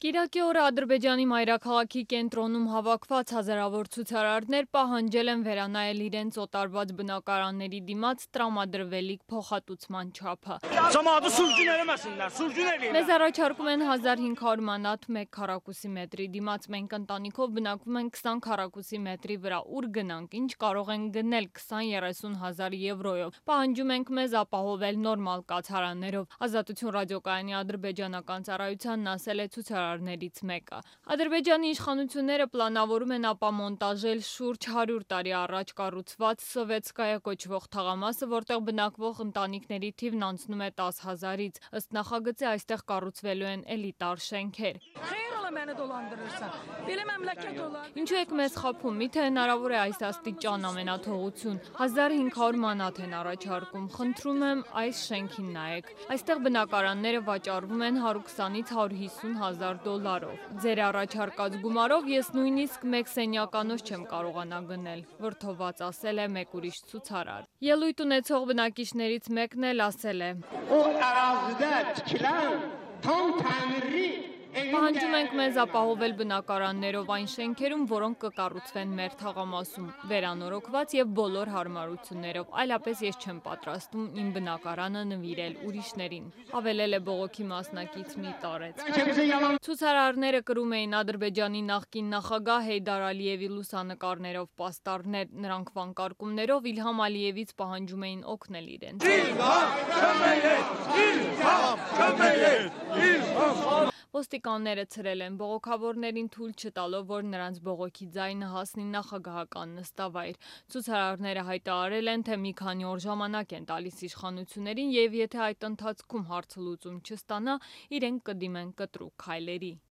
Կիրակի օրը Ադրբեջանի մայրաքաղաքի կենտրոնում հավաքված հազարավոր ցուցարարներ պահանջել են վերանայել իրենց օտարված բնակարանների դիմաց տրամադրվելիք փոխհատուցման չափը։ Մեզ առաջարկում են 1500 մանաթ 1 քառակուսի մետրի դիմաց մենք ընտանիքով բնակվում ենք 20 քառակուսի մետրի վրա, ուր գնանք, ինչ կարող են գնել 20-30 հազար եվրոյով։ Պահանջում ենք մեզ ապահովել նորմալ կացարաններով։ Ազատություն ռադիոկայանի ադրբեջանական ծառայությանն ասել է ցուցարարներից մեկը։ Ադրբեջանի իշխանությունները պլանավորում են ապամոնտաժել շուրջ 100 տարի առաջ կառուցված Սովետսկայա կոչվող թաղամասը, որտեղ բնակվող ընտանիքների թիվն անցնում է 10 հազարից։ Ըստ նախագծի այստեղ կառուցվելու են էլիտար շենքեր։ Ինչու եք մեզ խաբում, միթե հնարավոր է այս աստիճան ամենաթողություն, 1500 մանաթ են առաջարկում, խնդրում եմ այս շենքին նայեք, այստեղ բնակարանները վաճառվում են 120-ից 150 հազար դոլարով, ձեր առաջարկած գումարով ես նույնիսկ մեկ սենյականոց չեմ կարողանա գնել, վրդոված ասել է մեկ ուրիշ ցուցարար։ Ելույթ ունեցող բնակիչներից մեկն էլ ասել է. Պահանջում ենք մեզ ապահովել բնակարաններով այն շենքերում, որոնք կկառուցվեն մեր թաղամասում, վերանորոգված եւ բոլոր հարմարություններով, այլապես ես չեմ պատրաստվում իմ բնակարանը նվիրել ուրիշներին, հավելել է բողոքի մասնակից մի տարեց։ Ցուցարարները կրում էին Ադրբեջանի նախկին նախագահ Հեյդար Ալիևի լուսանկարներով պաստառներ, նրանք վանկարկումներով Իլհամ Ալիևից պահանջում էին օգնել իրենց։ Ոստիկանները ցրել են բողոքավորներին թույլ չտալով, որ նրանց բողոքի ձայնը հասնի նախագահական նստավայր։ Ցուցարարները հայտարարել են, թե մի քանի օր ժամանակ են տալիս իշխանություններին եւ եթե այդ ընթացքում հարցը լուծում չստանա, իրենք կդիմեն կտրուկ քայլերի։